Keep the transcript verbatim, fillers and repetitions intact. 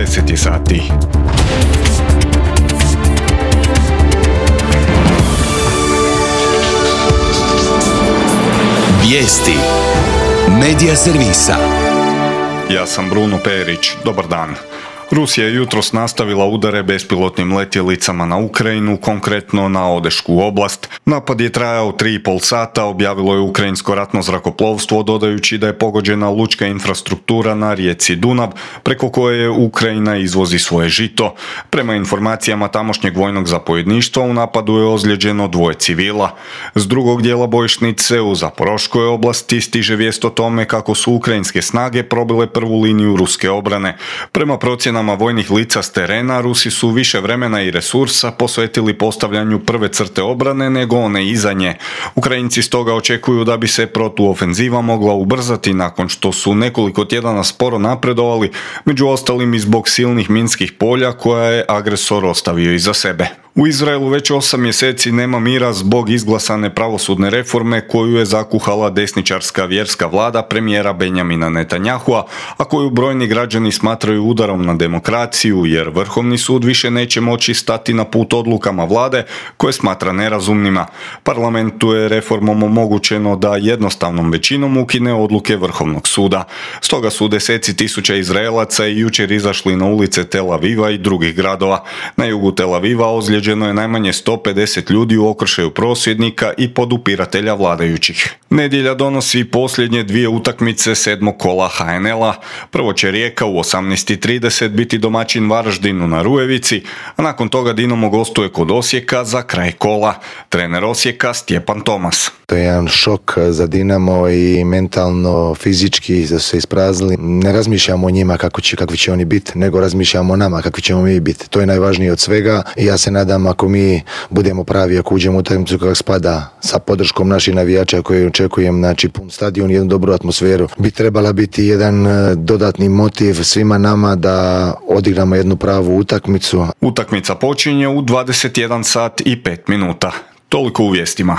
deset je sati. Vijesti Medija servisa. Ja sam Bruno Perić. Dobar dan. Rusija je jutros nastavila udare bespilotnim letjelicama na Ukrajinu, konkretno na Odešku oblast. Napad je trajao tri i pol sata, objavilo je ukrajinsko ratno zrakoplovstvo, dodajući da je pogođena lučka infrastruktura na rijeci Dunav, preko koje Ukrajina izvozi svoje žito. Prema informacijama tamošnjeg vojnog zapovjedništva, u napadu je ozlijeđeno dvoje civila. S drugog dijela bojišnice u Zaporoškoj oblasti stiže vijest o tome kako su ukrajinske snage probile prvu liniju ruske obrane. Prema procjenama vojnih lica s terena, Rusi su više vremena i resursa posvetili postavljanju prve crte obrane nego one iza nje. Ukrajinci stoga očekuju da bi se protuofenziva mogla ubrzati nakon što su nekoliko tjedana sporo napredovali, među ostalim i zbog silnih minskih polja koja je agresor ostavio iza sebe. U Izraelu već osam mjeseci nema mira zbog izglasane pravosudne reforme koju je zakuhala desničarska vjerska vlada premijera Benjamina Netanyahua, a koju brojni građani smatraju udarom na demokraciju jer Vrhovni sud više neće moći stati na put odlukama vlade koje smatra nerazumnima. Parlamentu je reformom omogućeno da jednostavnom većinom ukine odluke Vrhovnog suda. Stoga su deseci tisuća Izraelaca i jučer izašli na ulice Tel Aviva i drugih gradova. Na jugu Tel Aviva ozlijeđeno je najmanje sto pedeset ljudi u okršaju prosvjednika i podupiratelja vladajućih. Nedjelja donosi posljednje dvije utakmice sedmog kola ha en el-a. Prvo će Rijeka u osamnaest i trideset biti domaćin Varaždinu na Rujevici, a nakon toga Dinamo gostuje kod Osijeka za kraj kola. Trener Osijeka Stjepan Tomas. To je jedan šok za Dinamo i mentalno, fizički da su se ispraznili. Ne razmišljamo o njima kako će, kakvi će oni biti, nego razmišljamo o nama kakvi ćemo mi biti. To je najvažnije od svega i ja se nadam ako mi budemo pravi, ako uđemo u utakmicu kako spada sa podrškom naših navijača koje očekujem, znači pun stadion i jednu dobru atmosferu, bi trebala biti jedan dodatni motiv svima nama da odigramo jednu pravu utakmicu. Utakmica počinje u dvadeset jedan sat i pet minuta. Toliko u vijestima.